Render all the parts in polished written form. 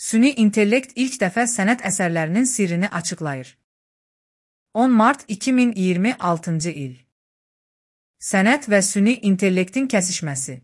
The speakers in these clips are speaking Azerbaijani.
Süni intellekt ilk dəfə sənət əsərlərinin sirrini açıqlayır. 10 mart 2026 il. Sənət və süni intellektin kəsişməsi.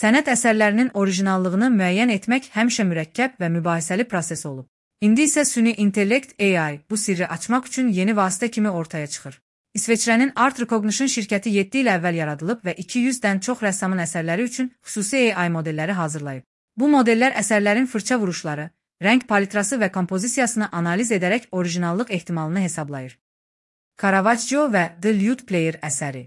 Sənət əsərlərinin orijinallığını müəyyən etmək həmişə mürəkkəb və mübahisəli proses olub. İndi isə süni intellekt AI bu sirri açmaq üçün yeni vasitə kimi ortaya çıxır. İsveçrənin Art Recognition şirkəti 7 il əvvəl yaradılıb və 200-dən çox rəssamın əsərləri üçün xüsusi AI modelləri hazırlayıb. Bu modellər əsərlərin fırça vuruşları, rəng palitrası və kompozisiyasını analiz edərək orijinallıq ehtimalını hesablayır. Caravaggio və The Lute Player əsəri.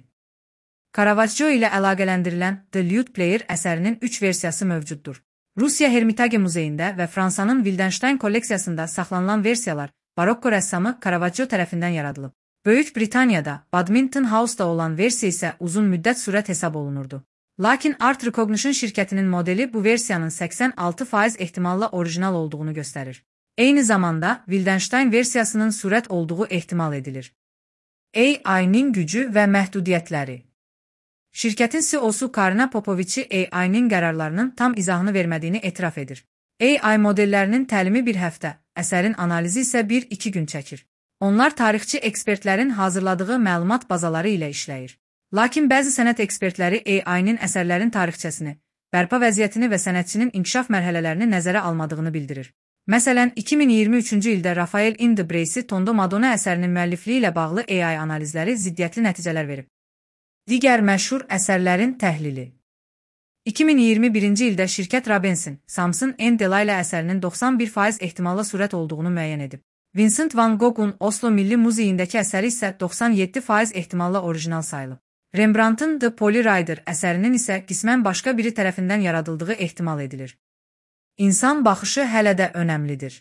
Caravaggio ilə əlaqələndirilən The Lute Player əsərinin 3 versiyası mövcuddur. Rusiya Hermitage muzeyində və Fransanın Wildenstein kolleksiyasında saxlanılan versiyalar barokko rəssamı Caravaggio tərəfindən yaradılıb. Böyük Britaniyada Badminton House-da olan versiya isə uzun müddət sürət hesab olunurdu. Lakin Art Recognition şirkətinin modeli bu versiyanın 86% ehtimalla orijinal olduğunu göstərir. Eyni zamanda Wildenstein versiyasının sürət olduğu ehtimal edilir. AI-nin gücü və məhdudiyyətləri. Şirkətin CEO-su Karina Popovici AI-nin qərarlarının tam izahını vermədiyini etiraf edir. AI modellərinin təlimi bir həftə, əsərin analizi isə 1-2 gün çəkir. Onlar tarixçi ekspertlərin hazırladığı məlumat bazaları ilə işləyir. Lakin bəzi sənət ekspertləri AI-nin əsərlərin tarixçəsini, bərpa vəziyyətini və sənətçinin inkişaf mərhələlərini nəzərə almadığını bildirir. Məsələn, 2023-cü ildə Rafael Indebresi Tondo Madonna əsərinin müəllifliyi ilə bağlı AI analizləri ziddiyyətli nəticələr verib. Digər məşhur əsərlərin təhlili. 2021-ci ildə şirkət Rabensin, Samson and Delilah əsərinin 91% ehtimalla sürət olduğunu müəyyən edib. Vincent van Gogh'un Oslo Milli Muzeyindəki əsəri isə 97% ehtimalla orijinal sayılıb. Rembrandtın The Poli Rider əsərinin isə qismən başqa biri tərəfindən yaradıldığı ehtimal edilir. İnsan baxışı hələ də önəmlidir.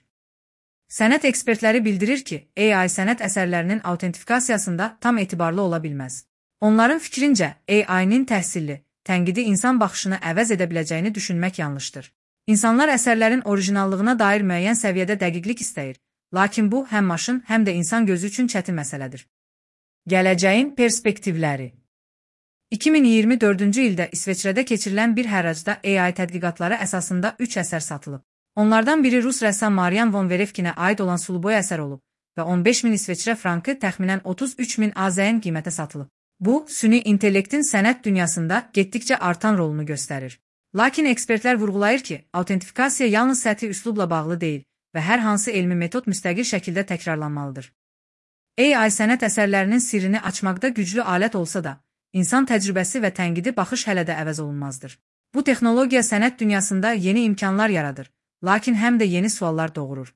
Sənət ekspertləri bildirir ki, AI sənət əsərlərinin autentifikasiyasında tam etibarlı ola bilməz. Onların fikrincə, AI-nin təhsilli, tənqidi insan baxışını əvəz edə biləcəyini düşünmək yanlışdır. İnsanlar əsərlərin orijinallığına dair müəyyən səviyyədə dəqiqlik istəyir, lakin bu həm maşın, həm də insan gözü üçün çətin məsələdir. Gələcəyin perspektivləri. 2024-cü ildə İsveçrədə keçirilən bir hərracda AI tədqiqatları əsasında 3 əsər satılıb. Onlardan biri Rus rəssam Marian von Verefkinə aid olan suluboy əsər olub və 15.000 İsveçrə frankı təxminən 33.000 AZN qiymətə satılıb. Bu, süni intellektin sənət dünyasında getdikcə artan rolunu göstərir. Lakin ekspertlər vurğulayır ki, autentifikasiya yalnız səthi üslubla bağlı deyil və hər hansı elmi metod müstəqil şəkildə təkrarlanmalıdır. AI sənət əsərlərinin sirrini açmaqda güclü alət olsa da, İnsan təcrübəsi və tənqidi baxış hələ də əvəz olunmazdır. Bu texnologiya sənət dünyasında yeni imkanlar yaradır, lakin həm də yeni suallar doğurur.